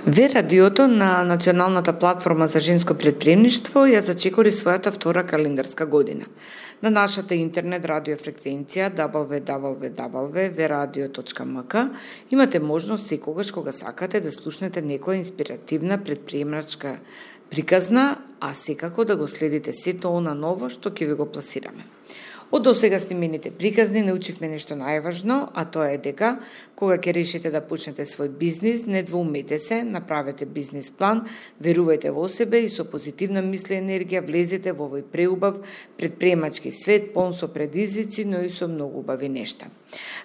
Ве радиото на Националната платформа за женско претприемништво ја зачекори својата втора календарска година. На нашата интернет радиофреквенција www.veradio.mk имате можност секогаш кога сакате да слушнете некоја инспиративна претприемачка приказна, а секако да го следите сето она ново што ќе ви го пласираме. Од досега снимените приказни научивме нешто најважно, а тоа е дека кога ќе решите да почнете свој бизнис, не двоумете се, направете бизнис план, верувајте во себе и со позитивна мисла и енергија влезете во овој преубав претприемачки свет, полн со предизвици, но и со многу убави нешта.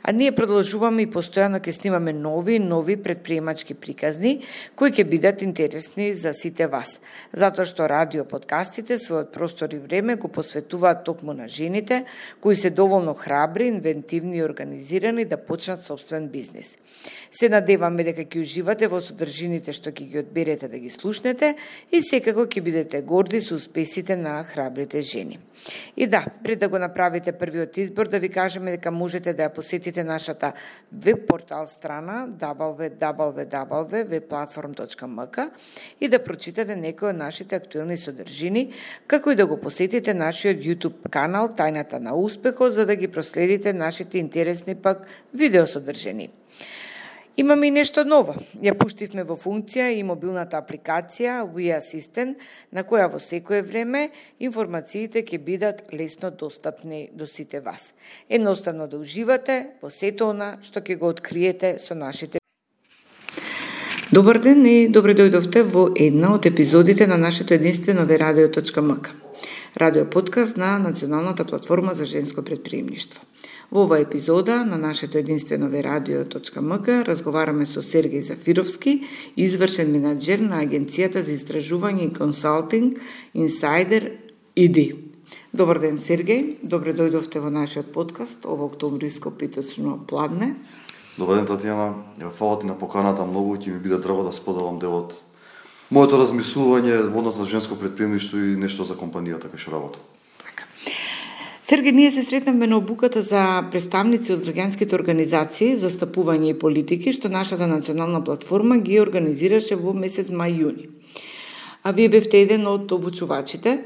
А ние продолжуваме и постојано ќе снимаме нови претприемачки приказни кои ќе бидат интересни за сите вас, затоа што радио подкастите својот простор и време го посветуваат токму на жените кои се доволно храбри, инвентивни и организирани да почнат собствен бизнис. Се надеваме дека ќе уживате во содржините што ќе ги одберете да ги слушнете и секако ќе бидете горди со успесите на храбрите жени. И да, пред да го направите првиот избор, да ви кажеме дека можете да ја посетите нашата веб портал страна www.webplatform.mk и да прочитате некои од нашите актуелни содржини, како и да го посетите нашиот YouTube канал Тајната на успехот, за да ги проследите нашите интересни пак видеосодржини. Имаме и нешто ново. Ја пуштивме во функција и мобилната апликација We Assistant, на која во секое време информациите ќе бидат лесно достапни до сите вас. Едноставно да уживате во сето она што ќе го откриете со нашите. Добар ден и добре дојдовте во една од епизодите на нашето единствено Veradio.mk, радио подкаст на Националната платформа за женско претприемништво. Во оваа епизода на нашето единствено Veradio.mk разговараме со Сергеј Зафировски, извршен менаџер на Агенцијата за истражување и консалтинг Insider ID. Добар ден, Сергеј, добре дојдовте во нашиот подкаст, ово октомвриско питочно пладне. Добар ден, Татјана. Фала ти на поканата многу, ќе ми биде драго да споделам дел од моето размислување во однос на женско претприемништво и нешто за компанијата кај што работам. Сергеј, ние се сретнавме на обуката за представници од граѓанските организации за стапување и политики, што нашата национална платформа ги организираше во месец мај-јуни. А вие бевте еден од обучувачите.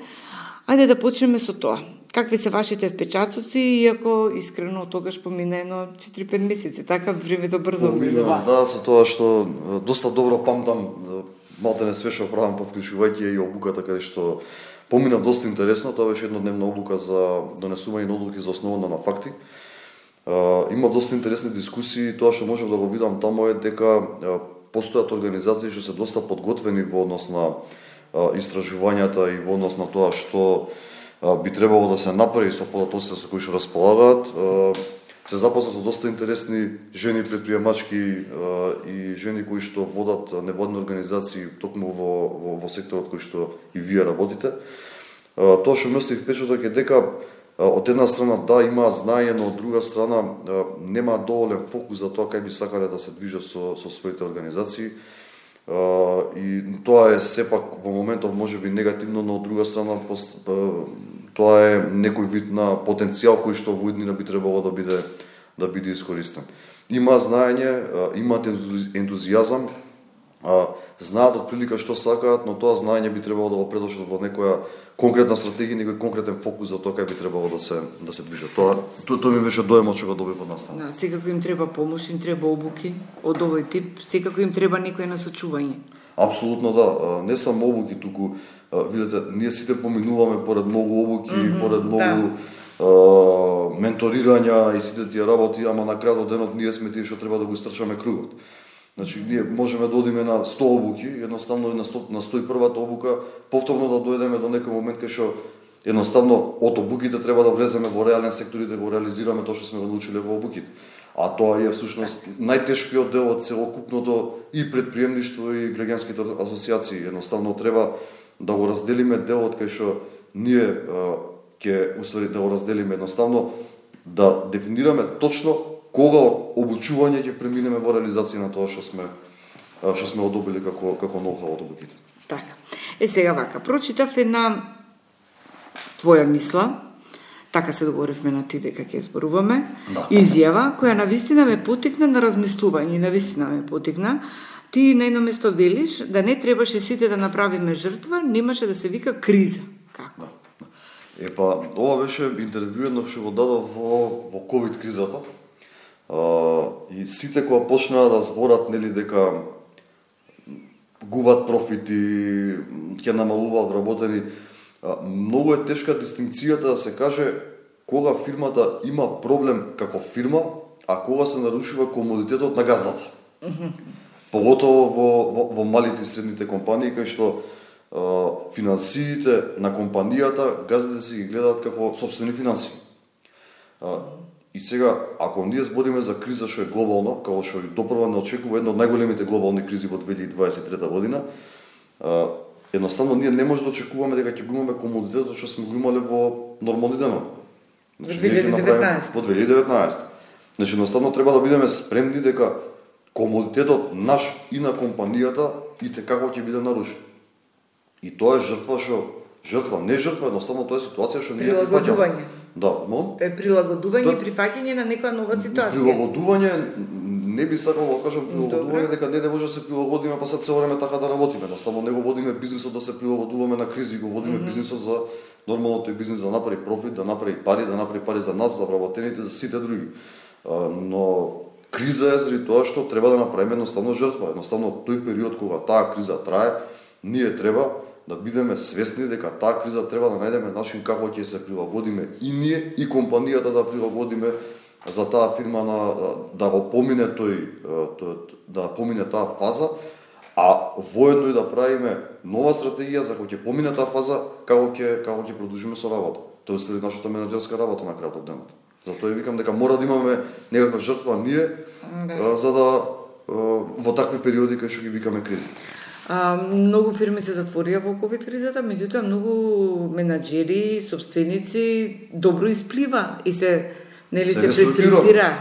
Ајде да почнеме со тоа. Какви се вашите впечатоци, иако искрено тогаш помина едно 4-5 месеци, така времето брзо минува. Да, со тоа што доста добро памтам, малте све што правам по вклучувајќи и обуката каде што помина доста интересно. Тоа беше еднодневна обука за донесување на одлуки за основана на факти. Има доста интересни дискусии. Тоа што можам да го видам таму е дека постојат организации што се доста подготвени во однос на истражувањата и во однос на тоа што би требало да се направи со податоците со кои што располагаат. Се запознав со доста интересни жени предприемачки и жени кои што водат невладни организации токму во секторот кој што и вие работите. Тоа што ме остави впечаток е дека од една страна да има знаење, но од друга страна нема доволен фокус за тоа кај би сакале да се движат со своите организации. И тоа е сепак во моментов можеби негативно, но од друга страна тоа е некој вид на потенцијал кој што во иднина би требало да биде искористен. Има знаење, имаат ентузијазам, знаат отприлика што сакаат, но тоа знаење би требало да го предложат во некоја конкретна стратегија, некој конкретен фокус за тоа кај би требало да се движат. Тоа ми беше доемот што го добив од настана. Да, секако им треба помош, им треба обуки од овој тип, секако им треба некој насочување. Апсолутно да, не само обуки, туку видите, ние сите поминуваме поред многу обуки, поред многу менторирања и сите тие работи, ама на крајот од денот ние сме тие што треба да го истрчаме кругот. Значи, ние можеме да одиме на 100 обуки, едноставно на 101-та обука, повторно да дојдеме до некој момент кај што едноставно од обуките треба да влеземе во реален сектор и да го реализираме тоа што сме го научиле во обуките. А тоа е всушност најтешкиот дел од целокупното и претприемништво и граѓанските асоциации. Едноставно треба да го разделиме делот кај што ние ќе усвари да го разделиме едноставно, да дефинираме точно кога од обучување ќе преминеме во реализација на тоа што сме одобили како ноу-хау од обуките. Така. Сега вака, прочитав една твоја мисла, така се договоривме на ти дека ќе зборуваме, изјава која навистина ме потикна на размислување, навистина ме потикна, Ти на едно место велиш да не требаше сите да направиме жртва, немаше да се вика криза. Како? Епа, ова беше интервју едно што го дадов во ковид кризата. И сите кога почнаа да зборат, нели, дека губат профити, ќе намалуваат вработени, многу е тешка дистинкцијата да се каже кога фирмата има проблем како фирма, а кога се нарушува комодитетот на газдата. Поготово во малите и средните компании, кај што финансиите на компанијата газдите си ги гледаат како сопствени финансии. И сега, ако ние збориме за криза што е глобална, како што допрва не очекува една од најголемите глобални кризи во 2023 година, едноставно ние не може да очекуваме дека ќе го имаме комодитетот што сме го имале во нормални денови. Значи, во 2019. Значи, едноставно треба да бидеме спремни дека комодитетот наш и на компанијата и како ќе биде нарушен. И тоа е жртва, не жртва, едноставно тоа е ситуација што ние прифаќаме. Да, Тоа е прилагодување и прифаќање на некоја нова ситуација. Прилагодување, не би сакал да кажам прилагодување, дека не може да се прилагодиме, па сад се време така да работиме. Едноставно не го водиме бизнисот да се прилагодуваме на кризи, го водиме бизнисот за нормалното и бизнис да направи профит, да направи пари за нас, за вработените, за сите други. Но криза е заради тоа што треба да направиме едноставно жртва. Едноставно тој период кога таа криза трае, ние треба да бидеме свесни дека таа криза треба да најдеме начин како ќе се прилагодиме и ние и компанијата да прилагодиме за таа фирма да го помине да помине таа фаза, а воедно и да правиме нова стратегија за кога ќе помине таа фаза, како ќе продолжиме со работа. Тоа е нашата менаџерска работа на крајот од денот. Затоа викам дека мора да имаме некаква жртва ние за да во такви периоди кај што ги викаме кризи. Многу фирми се затворија во ковид кризата, меѓутоа многу менаџери, собственици добро исплива и се преструктуира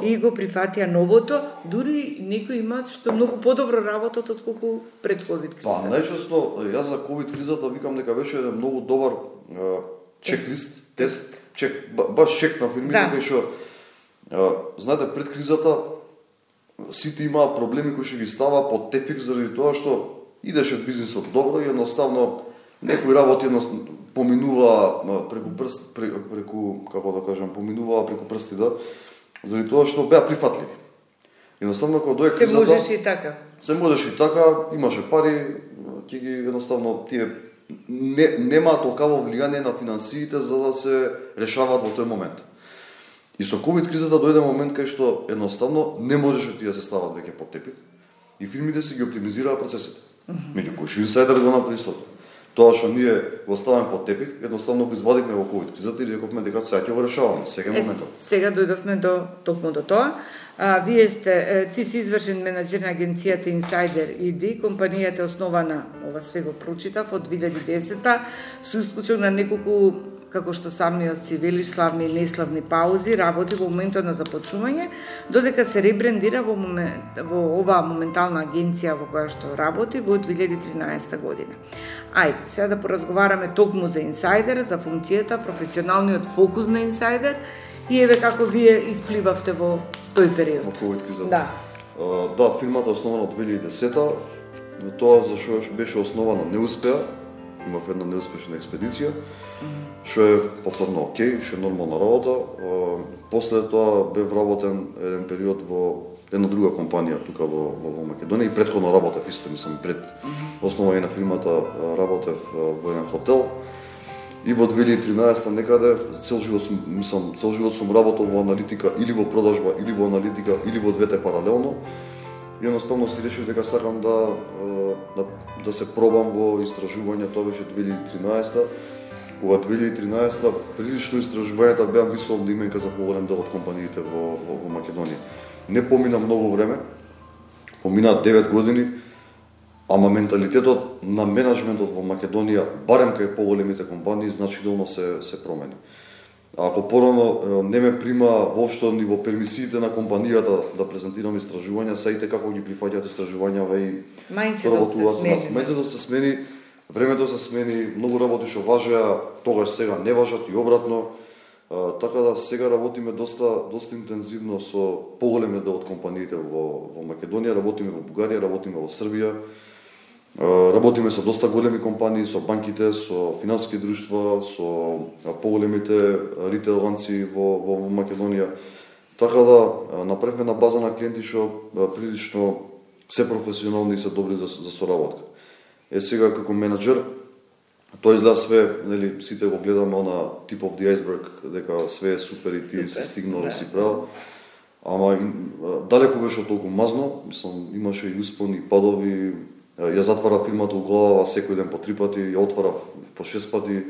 и го прифатија новото, дури некои имаат што многу подобро работат отколку пред ковид кризата. Па најчесто јас за ковид кризата викам дека беше еден многу добар чек-лист, тест, баш чек на фирмите кај што знаете пред кризата сите имаа проблеми кои што ги става под тепик заради тоа што идеше бизнисот добро и едноставно некои работи поминуваа преку како да кажам, поминуваа преку прстите заради тоа што беа прифатливи. Едноставно кога дојде кризата се можеше и така, имаше пари, ќе ги едноставно тие немаат толкаво влијание на финансиите за да се решаваат во тој момент. И со ковид кризата дојде момент кај што едноставно не можеше тие да се стават веќе под тепик и фирмите си ги оптимизираа процесите. Меѓу кои што инсайдер го направи истото. Тоа што ние го ставаме под тепик, едноставно го извадивме во ковид кризата и рековме дека сега ќе го решаваме, сега е моментот. Сега дојдовме токму до тоа. Ти си извршен менаџер на агенцијата Insider ID, компанијата е основана, ова све го прочитав, од 2010-та, со исклучок на неколку, како што самиот си велиш, славни и неславни паузи, работи во моментот на започнување, додека се ребрендира во оваа моментална агенција во која што работи во 2013 година. Ајде, сега да поразговараме токму за Insider, за функцијата, професионалниот фокус на Insider и еве како вие испливавте во тој период. Во ковид кризата. Да. Да, фирмата е основана од 2010-та, но тоа за што беше основана не успеа. Имав една неуспешна експедиција, што е повторно окей, што е нормална работа. После тоа бе вработен еден период во една друга компанија тука во Македонија и претходно работев исто, мислам пред основање на фирмата работев во еден хотел. И во 2013 некаде цел живот сум работел во аналитика или во продажба или во аналитика или во двете паралелно. И едноставно си решив дека сакам да се пробам во истражување, тоа беше 2013-та. Кога 2013-та прилично истражувањата беа мислам да именка за поголем дел од компаниите во Македонија. Не помина многу време, помина 9 години, ама менталитетот на менаџментот во Македонија, барем кај поголемите компании, значително се промени. Ако порано не ме прима воопшто ни во пермисиите на компанијата да презентирам истражувања, саите како ги прифаќаат истражувањава и мајндсетот се смени, времето се смени, многу работи што важеа, тогаш сега не важат и обратно. Така да сега работиме доста интензивно со поголемиот дел од компаниите во Македонија, работиме во Бугарија, работиме во Србија. Работиме со доста големи компании, со банките, со финансиски друштва, со поголемите ритейл ланци во Македонија. Така да направивме на база на клиенти што прилично се професионални и се добри за соработка. Сега како менаџер, тоа изгледа све, нели, сите го гледаме на tip of the iceberg, дека све е супер и ти си стигнал да си правил. Ама далеко беше од толку мазно, мислам, имаше и успони, падови. Ја затварав фирмата у глава секој ден по 3 пати, ја отварав по 6 пати.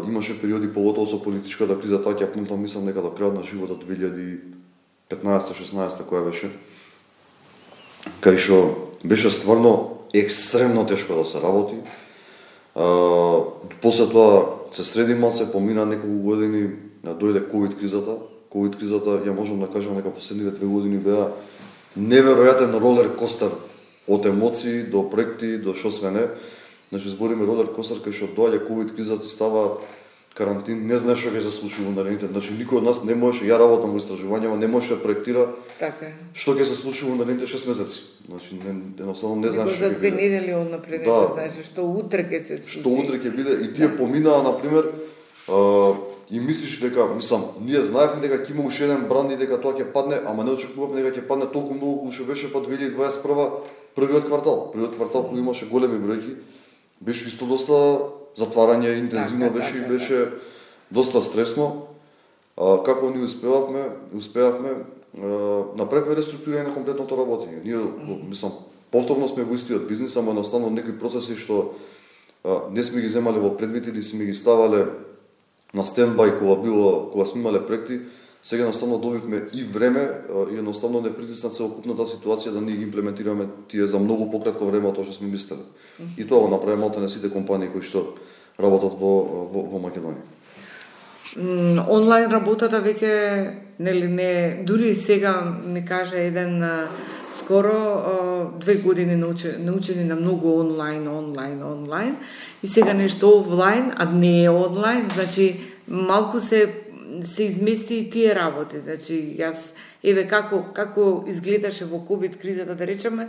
Имаше периоди, поготово со политичката криза, така ја памтам, мислам дека до крајот на животот 2015-16 која беше, кај што беше стварно екстремно тешко да се работи. После тоа се среди малце, помина неколку години, дојде ковид кризата. Ковид кризата, ја можам да кажам дека последните 2 години беа неверојатен ролер костер од емоции до проекти до што све не. Значи збориме ролер костер кај што доаѓа ковид кризата, става карантин, не знаеш што ќе се случи во наредните. Значи никој од нас не можеше, ја работам во истражувања, не можеше да проектира. Така е. Што ќе се случи во наредните 6 месеци. Значи едноставно не знаеш што ќе биде. За 2 недели однапред не се знаеше што утре ќе се случи. Што утре ќе биде и тие поминаа на пример и мислиш дека, мислам, ние знаевме дека ќе има уште еден бранд и дека тоа ќе падне, ама не очекувавме дека ќе падне толку многу колку што беше по 2021 првиот квартал. Првиот квартал кога имаше големи бројки, беше исто доста затварање, интензивно беше доста стресно. Како ние успеавме, направивме реструктурирање на комплетното работење. Ние, мислам, повторно сме во истиот бизнис, ама едноставно некои процеси што не сме ги земале во предвид или сме ги ставале на стендбај кога сме имале проекти, сега едноставно добивме и време и едноставно не притисна целокупната ситуација да ние ги имплементираме тие за многу пократко време од тоа што сме мислеле. И тоа го направи малтене сите компании кои што работат во Македонија. Онлайн работата веќе, нели не, дури и сега ми кажа еден скоро 2 години научени на многу онлайн и сега нешто офлайн, а не е онлайн, значи малку се измести и тие работи. Значи јас еве како изгледаше во ковид кризата, да речеме,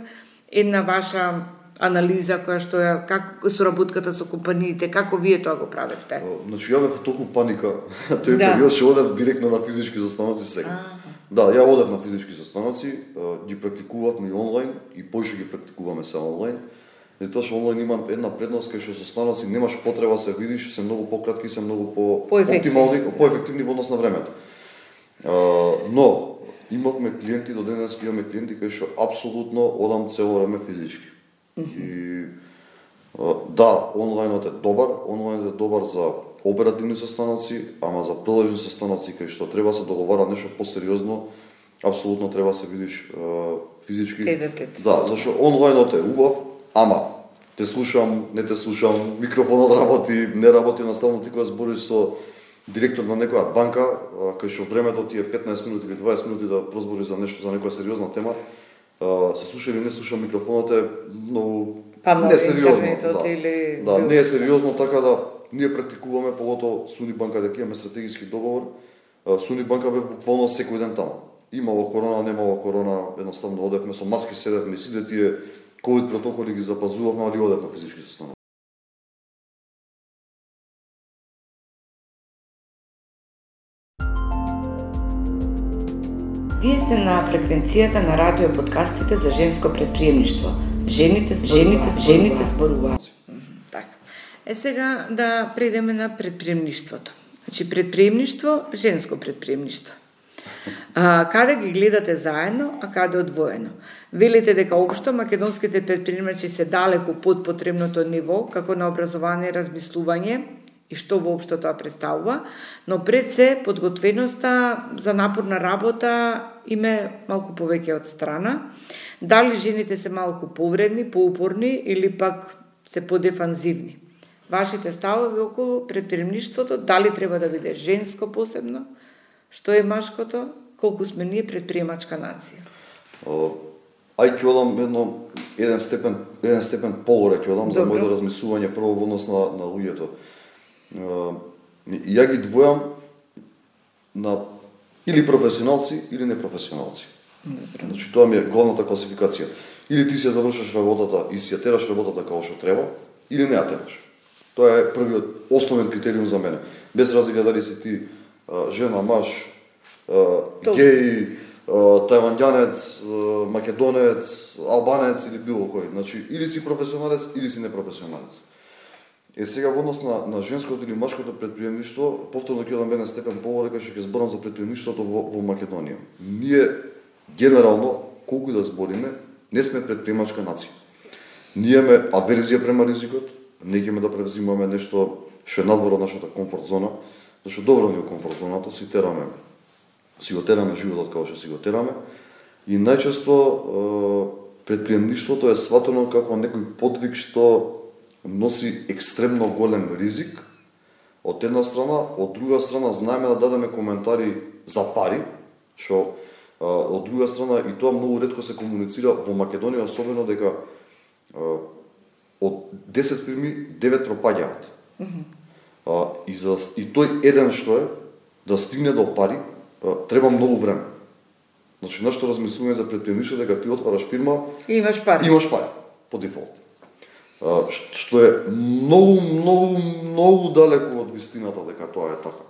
една ваша анализа која што е како соработката со компаниите, како вие тоа го правевте? Значи ја бев толку паника, тој период што одев директно на физички застаноци сега. Да, ја одев на физички застаноци, ги практикувавме и онлайн и поише ги практикуваме се онлайн. И тоа што онлайн има една предност кај што со станоци немаш потреба се видиш, се многу пократки, се многу оптимални, поефективни во однос на времето. Но имавме клиенти, до денес имаме клиенти кај што апсолутно одам цело време физички. И да, онлајнот е добар за оперативни состаноци, ама за продолжни состаноци кај што треба се договара нешто посериозно, апсолутно треба се видиш физички. Да, зашто онлајнот е убав, ама те слушам, не те слушам, микрофонот работи, не работи, наставно ти кога збориш со директор на некоја банка, кај што времето ти е 15 минути или 20 минути да прозбориш за нешто, за некоја сериозна тема, се слуша или не слуша, микрофонот е многу несериозно. Да, не е сериозно, така да ние практикуваме, поготово Суни банка, дека имаме стратегиски договор. Суни банка бе буквално секој ден таму. Имало корона, немало корона, едноставно одевме со маски, седевме, сите тие ковид протоколи ги запазувавме, али одев на физички состанок. Вие сте на фреквенцијата на радио подкастите за женско предприемништво. Жените зборуваат. Така. Сега да предеме на предприемништвото. Значи предприемништво, женско предприемништво. Каде ги гледате заедно, а каде одвоено? Велите дека општо македонските предприемачи се далеку под потребното ниво, како на образование и размислување, и што воопшто тоа представува, но пред се подготвеноста за напорна работа име малку повеќе од страна. Дали жените се малку повредни, поупорни или пак се подефанзивни? Вашите ставови околу предприемништвото, дали треба да биде женско посебно, што е машкото, колку сме ние предприемачка нација? Ај ќе одам еден степен погоре ќе одам за моето размислување прво во однос на луѓето. Ја ги двојам на или професионалци или непрофесионалци. Значи тоа ми е главната класификација. Или ти си завршиш работата и си ја тераш работата како што треба, или не ја тераш. Тоа е првиот основен критериум за мене. Без разлика дали си ти жена, маж, геј, тајванѓанец, македонец, албанец или било кој. Значи, или си професионалец, или си непрофесионалец. Сега во однос на женското или машкото претприемништво, повторно ќе одам еден степен поводека што ќе зборам за претприемништвото во Македонија. Ние генерално, колку да збориме, не сме претприемачка нација. Ние имаме аверзија према ризикот, не ќе да превзимаме нешто што е надвор од нашата комфорт зона, зашто добро ни е комфорт зоната, си го тераме животот како што си го тераме, и најчесто претприемништвото е сватено како некој подвиг што носи екстремно голем ризик, од една страна, од друга страна знаеме да дадеме коментари за пари, што од друга страна и тоа многу ретко се комуницира во Македонија, особено дека од 10 фирми 9 пропаѓаат. И тој еден што е да стигне до пари, треба многу време. Значи, нашето размислување за претприемништво дека ти отвараш фирма и имаш пари по дефолт. Што е многу далеку од вистината дека тоа е така.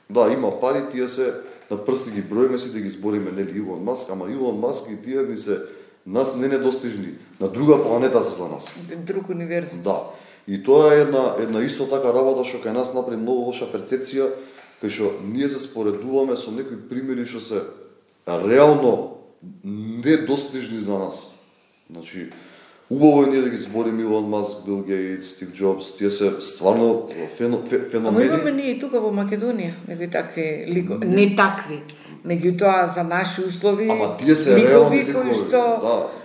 Да, има пари, тие се на прсти ги броиме, сите ги збориме, нели, Илон Маск, ама Илон Маск и тие ни се нас не недостижни. На друга планета се за нас. Друг универзум. Да. И тоа е една исто така работа што кај нас направи многу лоша перцепција, кај што ние се споредуваме со некои примери што се реално недостижни за нас. Значи, убаво е ние да ги збориме Илон Маск, Бил Гейтс, Стив Джобс, тие се стварно феномени. Ама имаме ние и тука во Македонија некои такви ликови, не такви, меѓутоа за наши услови. Ама тие се реални ликови,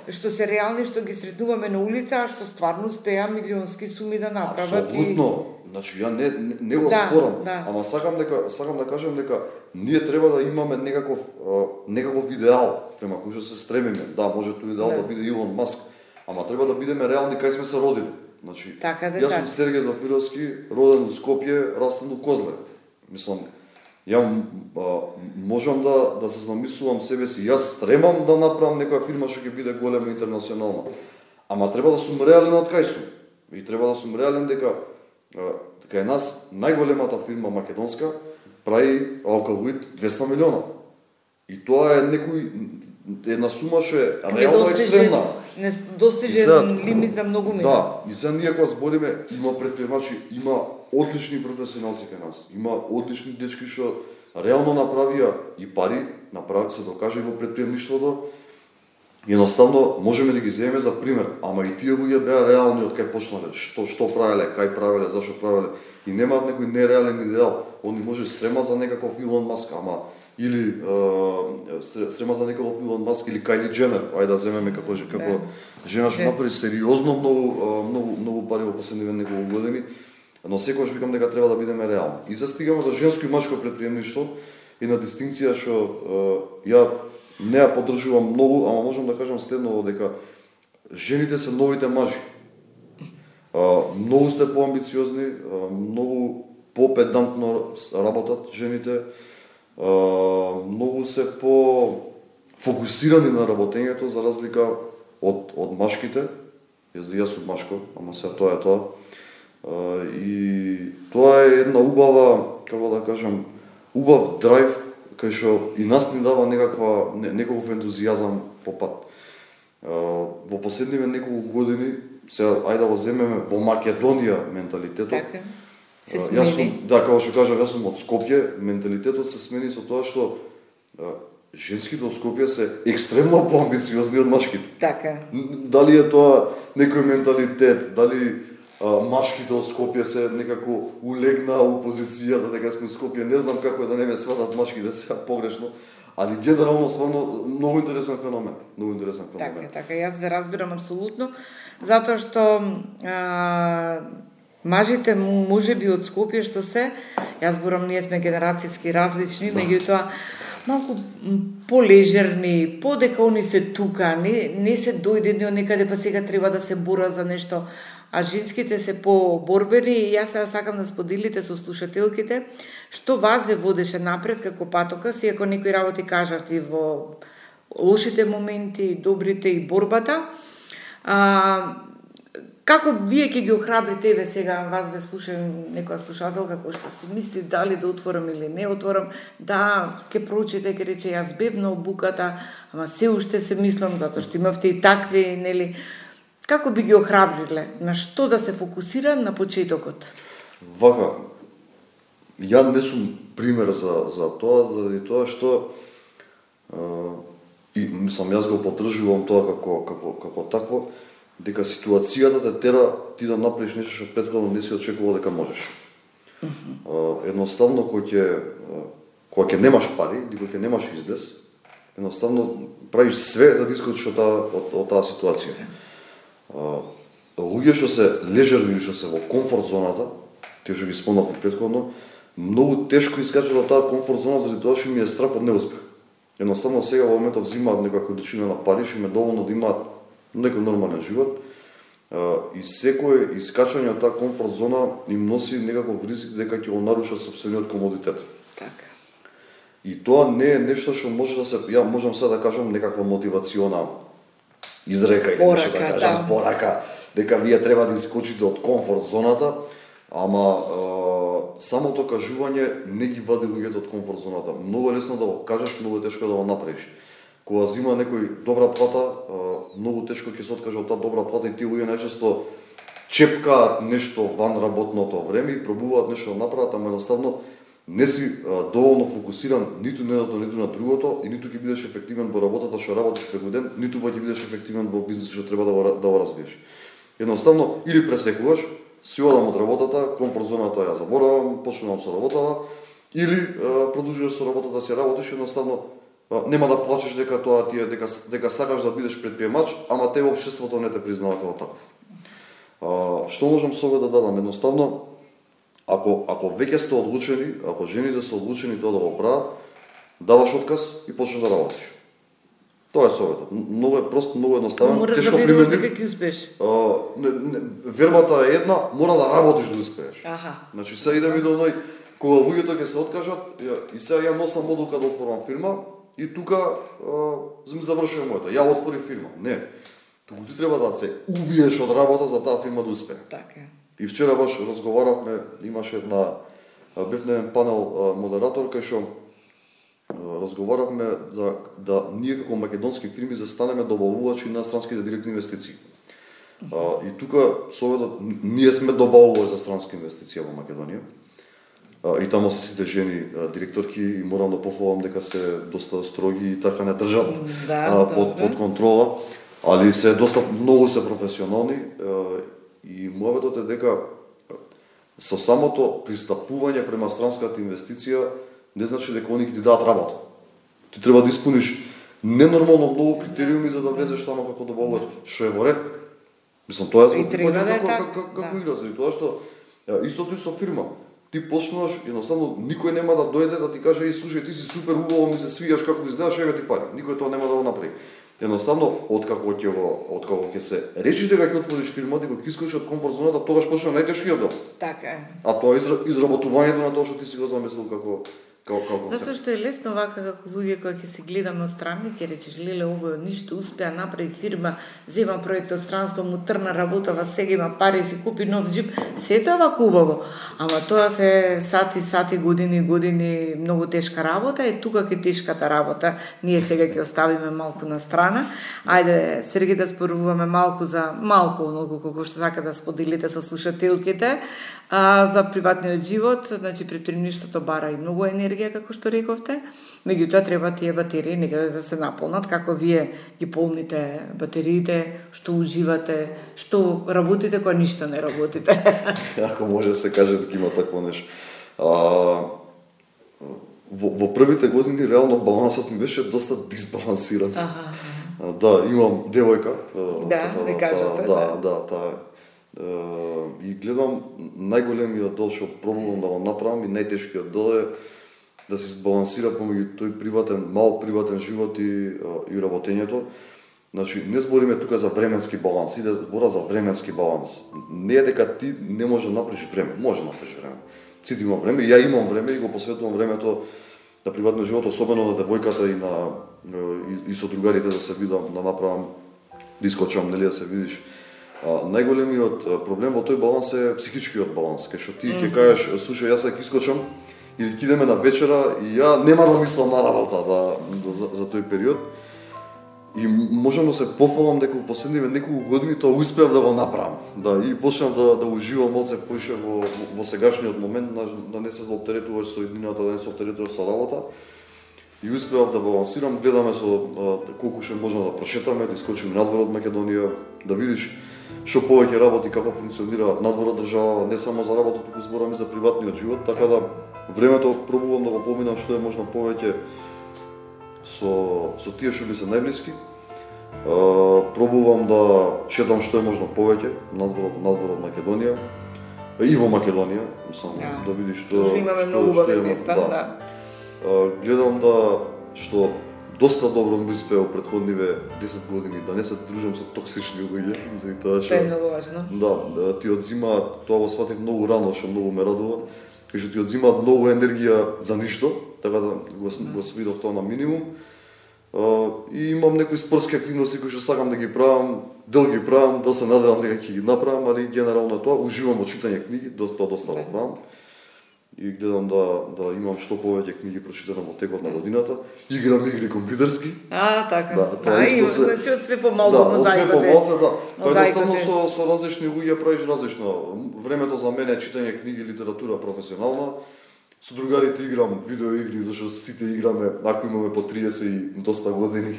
што се реални, што ги сретнуваме на улица, а што стварно успеа милионски суми да направат. Апсолутно. Значи ја не го спорам, ама сакам да кажам дека ние треба да имаме некаков идеал према кој што се стремиме. Да, може тој идеал да биде Илон Маск, ама треба да бидеме реални кај сме се родили. Значи, јас сум Сергеј Зафировски, роден во Скопје, растен во Козле. Мислам, ја можам да се замислувам себе си, јас стремам да направам некоја фирма што ќе биде голема интернационална. Ама треба да сум реален од кај сум. И треба да сум реален дека кај нас најголемата фирма македонска прави алкалоид 200 милиона. И тоа е една сума што е реално екстремна. Недостижен лимит за многу милиони. Да, и сега ние кога збориме, има претприемачи, има одлични професионалци кај нас. Има одлични дечки што реално направија и пари, се докажа и во претприемништвото. Едноставно можеме да ги земеме за пример, ама и тие луѓе беа реални од кај почнале, што правеле, кај правеле, зашо правеле, и немаат некој нереален идеал. Они може стрема за некаков Илон Маск, ама или стрема за некаков Илон Маск или Кайли Дженер, ајде да земеме како жена што направи сериозно многу пари во последниве неколку години, но секогаш викам дека треба да бидеме реални. И застигаме до женско и мачко претприемништво и на дистинкција што ја не ја поддржувам многу, ама можам да кажам следново дека жените се новите мажи. Многу сте поамбициозни, многу попедантно работат жените, многу се по-фокусирани на работењето за разлика од машките. Јас сум машко, ама се тоа е тоа. И тоа е една убава, како да кажам, убав драйв кај што и нас ни дава некаков ентузијазам по пат. Во последниве неколку години, сега ајде да го земеме во Македонија менталитетот. Така. Се смени. Како што кажав, јас сум од Скопје, менталитетот се смени со тоа што женските од Скопје се екстремно поамбициозни од машките. Така. Дали е тоа некој менталитет, дали машките од Скопје се некако улегнаа у позицијата дека сме од Скопје, не знам како да не ме сватат машките сега погрешно, али генерално стварно многу интересен феномен, Така, јас ве разбирам апсолутно, затоа што мажите можеби од Скопје што се, јас зборам, ние сме генерацијски различни, меѓутоа малку полежерни, подека они се тука, не се дојдени од некаде, па сега треба да се бора за нешто. а женските се поборбени и јас сега сакам да споделите со слушателките што вас ве водеше напред како патокас, иако некои работи кажавте во лошите моменти, добрите и борбата. Како вие ќе ги охрабрите, еве сега вас ве слушам некоја слушателка која што си мисли дали да отворам или не отворам, да, ќе проучите, ќе рече јас бев на обуката, ама се уште се мислам затоа што имавте и такви, нели? Како би ги охрабриле? На што да се фокусира на почетокот? Вака, ја не сум пример за тоа, заради тоа што и мислам јас го поддржувам тоа како такво, дека ситуацијата те тера ти да направиш нешто што претходно не си очекувал дека можеш. Едноставно кога ќе немаш пари, или кога ќе немаш излез, едноставно правиш све да ти искочиш од таа ситуација. Луѓе што се лежерни или што се во комфорт зоната, тие што ги спомнав претходно, многу тешко искачат од таа комфорт зона заради тоа што ми е страф од неуспех. Едноставно сега во моментов взимаат некоја количина на пари, што им е доволно да имаат некој нормален живот, и секое искачање од таа комфорт зона им носи некаков ризик дека ќе го нарушат сопствениот комодитет. Така. И тоа не е нешто што може да се, ја можам сега да кажам некаква мотивациона изрека или нешто да кажам, порака, дека вие треба да искочите од комфорт зоната, ама самото кажување не ги вади луѓето од комфорт зоната. Многу лесно да го кажеш, многу тешко да го направиш. Кога зима некој добра плата, многу тешко ќе се откаже од таа добра плата и тие луѓе најчесто чепкаат нешто ван работното време и пробуваат нешто да направат, ама едноставно не си доволно фокусиран ниту на едното, ниту на другото и ниту ќе бидеш ефективен во работата што работиш преку ден, ниту ќе бидеш ефективен во бизнисот што треба да го развиеш. Едноставно или пресекуваш, си одам од работата, комфорт зоната ја заборавам, почнувам со работава, или продолжуваш со работата си работиш, едноставно нема да плачеш дека тоа ти е дека сакаш да бидеш предприемач, ама тебе општеството не те признава како таков. Што можам совет да дадам? Едноставно, ако веќе сте одлучени, ако жените се одлучени тоа да го прават, даваш отказ и почнеш да работиш. Тоа е советот. Многу е прост, многу едноставен, тешко применлив. Дека ќе успееш. Вербата е една, мора да работиш да успееш. Значи сега идеме до оној кога луѓето ќе се откажат, и сега ја носам одлука да отворам фирма, и тука ми завршува моето. Ја отворив фирма. Не. Туку ти треба да се убиеш од работа за таа фирма да успее. Така. И вчера баш разговаравме, имаше бев на еден панел модератор кај што разговаравме за да ние како македонски фирми застанеме добавувачи на странските директни инвестиции. И тука советот, ние сме добавувачи за странски инвестиции во Македонија. И таму се сите жени директорки и морам да пофалам дека се доста строги и така не држат под контрола, али се доста многу се професионални и мојот е дека со самото пристапување према странската инвестиција не значи дека они ќе ти дадат работа. Ти треба да испуниш ненормално многу критериуми за да влезеш таму како добавувач, што е во ред. Мислам, тоа е како игра, заради тоа што истото и со фирма. Ти почнуваш, едноставно никој нема да дојде да ти каже: "Еј, слушај, ти си супер убаво, ми се свијаш како изгледаш, еве ти пари." Никој тоа нема да го направи. Едноставно, откако ќе се решиш дека ќе отвориш фирма, дека ќе искаш од комфорт зоната, тогаш почнува најтешкиот дел. Така е. А тоа е изработувањето на тоа што ти си го замислил како концепт. Затоа што е лесно вака како луѓе кои ќе се гледаме од страни, ќе речеш: "Леле, овој од ништо успеа, направи фирма, зема проект од странство, му трна работава, сега има пари, си купи нов џип." Се тоа вака убаво. Ама тоа се сати, години, многу тешка работа, и тука ќе тешката работа. Ние сега ќе оставиме малку на страна. Ајде, Сергеј, да споруваме малку оноliko колку што сака да споделите со слушателките за приватниот живот. Значи, предприемништвото бара и многу енергија, како што рековте. Меѓутоа треба тие батерии некаде да се наполнат. Како вие ги полните батериите, што уживате, што работите кога ништо не работите? Ако може да се каже дека има такво нешто. Во првите години реално балансот ми беше доста дисбалансиран. Да, имам девојка. Да, кажете. Да, таа. И гледам најголемиот дел што пробувам да го направам и најтешкиот дел е да се збалансира помеѓу тој мал приватен живот и работењето. Значи, не збориме тука за временски баланс, иде збора за временски баланс. Не е дека ти не можеш да направиш време, може да направиш време. Сите имам време, ја имам време и го посветувам времето на приватниот живот, особено на девојката и со другарите да се видам, да направам, да искочам, нели да се видиш. Најголемиот проблем во тој баланс е психичкиот баланс, кај што ти ќе кажеш, слушај, јас ќе искочам или ќе идеме на вечера и ја нема да мислам на работа за тој период. И можам да се пофалам дека во последниве неколку години тоа успеав да го направам. Да, и почнав да уживам малце поише во сегашниот момент, да не се заоптеретуваш со еднината, да не се оптеретуваш со работа. И успеав да балансирам, гледаме со колку ше можеме да прошетаме, да искочиме надвор од Македонија, да видиш што повеќе работи, како функционира надвор од држава, не само за работа, туку зборам и за приватниот живот, така да времето пробувам да го поминам што е можно повеќе со тие што ми се најблиски. Пробувам да шетам што е можно повеќе надвор од Македонија и во Македонија, само да видиш што имаме многу убави места, да. Гледам што доста добро ми успеа претходниве 10 години да не се дружам со токсични луѓе, заради тоа што тоа е многу важно. Да, ти одзимаат, тоа го сватив многу рано, што многу ме радува, кај што ти одзимаат многу енергија за ништо, така да го свидов тоа на минимум. И имам некои спортски активности кои што сакам да ги правам, дел ги правам, да се надевам дека ќе ги направам, али генерално тоа уживам во читање книги, доста го правам. И гледам да имам што повеќе книги прочитани во текот на годината. Играм игри компјутерски. Така. Да, тоа исто се. Значи од све помалку мозаикот. Да, од све помалку, да. Па едноставно со различни луѓе правиш различно. Времето за мене е читање книги, литература професионална. Со другарите играм видео игри, зашто сите играме, ако имаме по 30 и доста години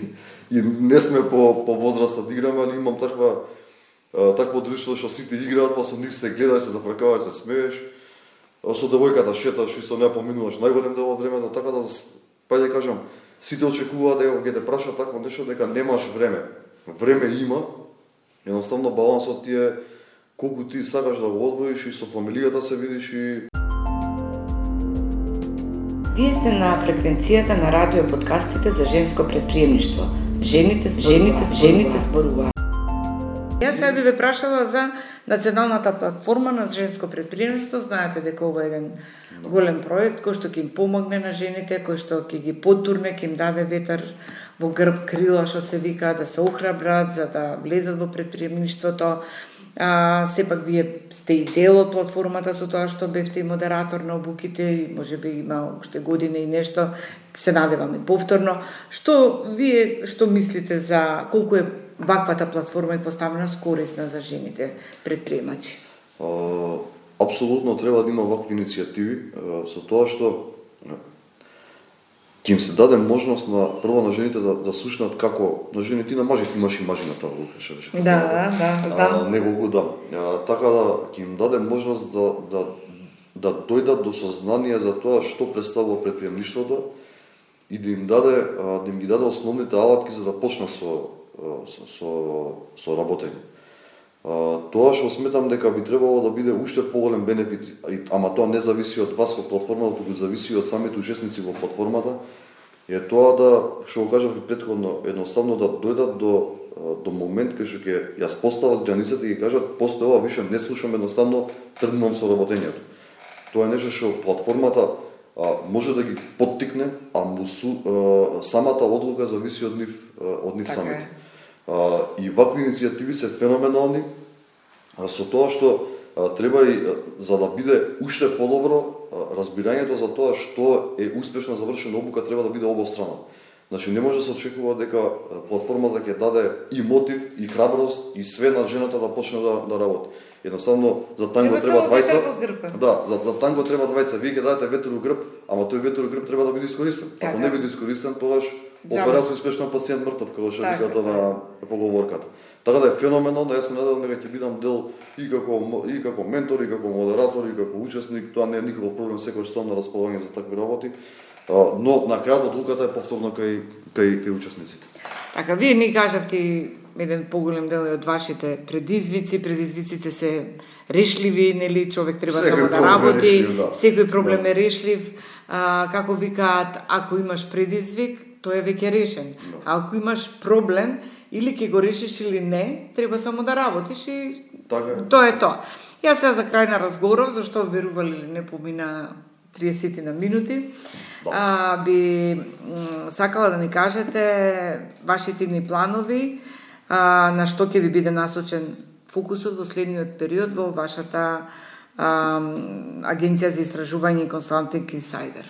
и не сме по возраста да играме, али имам такво друштво што сите играат, па со нив се гледаш, се зафркаваш, се смееш. Со девојката шеташ и со неа поминуваш најголем дел од времето, така да па ја кажам, сите очекуваат дека ќе те прашаат такво нешто дека немаш време. Време има. Едноставно балансот ти е колку ти сакаш да го одвоиш и со фамилијата се видиш и Вие сте на фреквенцијата на радио подкастите за женско предприемништво. Жените зборуваат. Јас сега би ве прашала за националната платформа на женско предприемништво. Знаете дека ова е еден голем проект кој што ќе им помогне на жените, кој што ќе ги потурне, ќе им даде ветар во грб, крила што се вика, да се охрабрат за да влезат во предприемништвото. Сепак вие сте и дел од платформата со тоа што бевте и модератор на обуките и можеби има уште година и нешто, се надевам и повторно. Што мислите за колку е ваквата платформа и поставеност корисна за жените предприемачи? Апсолутно треба да има вакви иницијативи, со тоа што ќе им се даде можност прво на жените да слушнат како на жените и на мажите, имаш и мажи на таа лука, што рече. Да, знам. Неколку да. Така да ќе им даде можност да дојдат до сознание за тоа што представува предприемништвото и да им ги даде основните алатки за да почне со работење. Тоа што сметам дека би требало да биде уште поголем бенефит, ама тоа не зависи од вас во платформата, туку зависи од самите учесници во платформата, е тоа да, што го кажав и претходно, едноставно да дојдат до момент кај што ќе ја постават границата и ќе кажат после ова више не слушам, едноставно тргнувам со работењето. Тоа е нешто што платформата може да ги поттикне, а самата одлука зависи од нив самите. И вакви иницијативи се феноменални, со тоа што треба и за да биде уште подобро разбирањето за тоа што е успешно завршена обука треба да биде обострано. Значи не може да се очекува дека платформата ќе даде и мотив, и храброст, и све на жената да почне да работи. Едноставно за танго треба двајца. Да, за танго треба двајца. Вие ќе дадете ветер у грб, ама тој ветер у грб треба да биде искористен. Ако не биде искористен, тогаш операција успешно пациент мртов, како што викате на поговорката. Така да е феноменално, јас се надевам дека ќе бидам дел и како ментор, и како модератор, и како учесник, тоа не е никаков проблем, секој што на располагање за такви работи. Но на крајот одлуката е повторно кај учесниците. Така, вие ми кажавте еден поголем дел од вашите предизвици. Предизвиците се решливи, нели, човек треба само да работи, секој проблем е решлив. Како викаат, ако имаш предизвик, тој е веќе решен. А ако имаш проблем, или ќе го решиш или не, треба само да работиш и тоа е тоа. Јас сега за крај на разговоров, зашто верували или не помина 30 на минути, би сакала да ни кажете вашите идни планови, на што ќе ви биде насочен фокусот во следниот период во вашата агенција за истражување и консалтинг Инсайдер.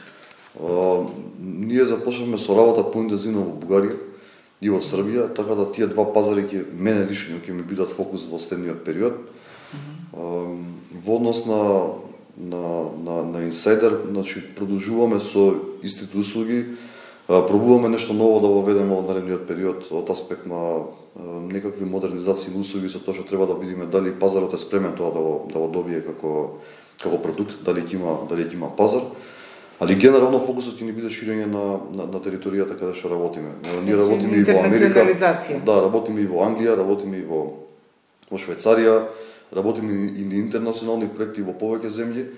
Ние започнавме со работа поинтензивно во Бугарија и во Србија, така да тие два пазари ќе мене лично ќе ми бидат фокус во следниот период. Во однос на Инсайдер, значи продолжуваме со истите услуги, пробуваме нешто ново да воведеме во наредниот период од аспект на некакви модернизации на услуги, со тоа што треба да видиме дали пазарот е спремен тоа да го добие како продукт, дали ќе има пазар. Али генерално фокусот ќе ни биде ширење на територијата каде што работиме. Ние работиме и во Америка, работиме и во Англија, работиме и во Швајцарија, работиме и на интернационални проекти во повеќе земји,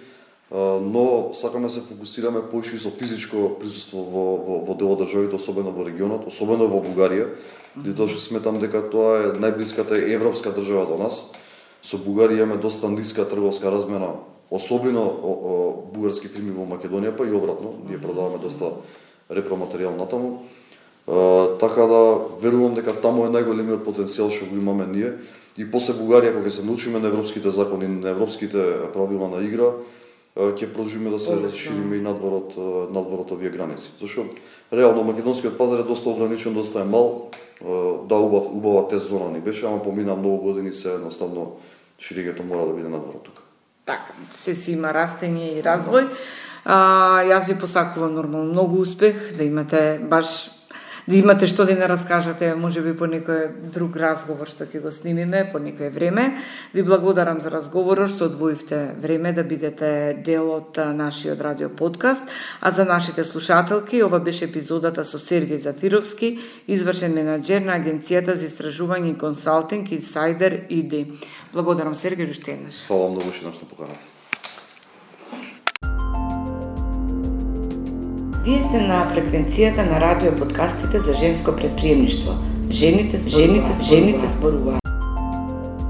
но сакаме се фокусираме поише со физичко присуство во дел од државите, особено во регионот, особено во Бугарија, затоа што сметам дека тоа е најблиската европска држава до нас. Со Бугарија имаме доста ниска трговска размена, особено бугарски фирми во Македонија, па и обратно, ние продаваме доста репроматеријал натаму. Така да верувам дека таму е најголемиот потенцијал што го имаме ние. И после Бугарија, кога се научиме на европските закони, на европските правила на игра, ќе продолжиме да се расшириме и надвор од овие граници. Зашто реално македонскиот пазар е доста ограничен, доста е мал. Да, убава тест зона ни беше, ама помина многу години, се едноставно ширењето мора да биде надвор од тука. Така, се си има растење и развој. Јас ви посакувам нормално многу успех, да имате што да не раскажете, можеби по некој друг разговор што ќе го снимиме по некое време. Ви благодарам за разговорот што одвоивте време да бидете дел од нашиот радио подкаст, а за нашите слушателки ова беше епизодата со Сергеј Зафировски, извршен менаџер на агенцијата за истражување и консалтинг Инсайдер ИД. Благодарам Сергеј уште еднаш. Фала многу што поканата. Вие сте на фреквенцијата на радио подкастите за женско претприемништво. Жените зборуваат.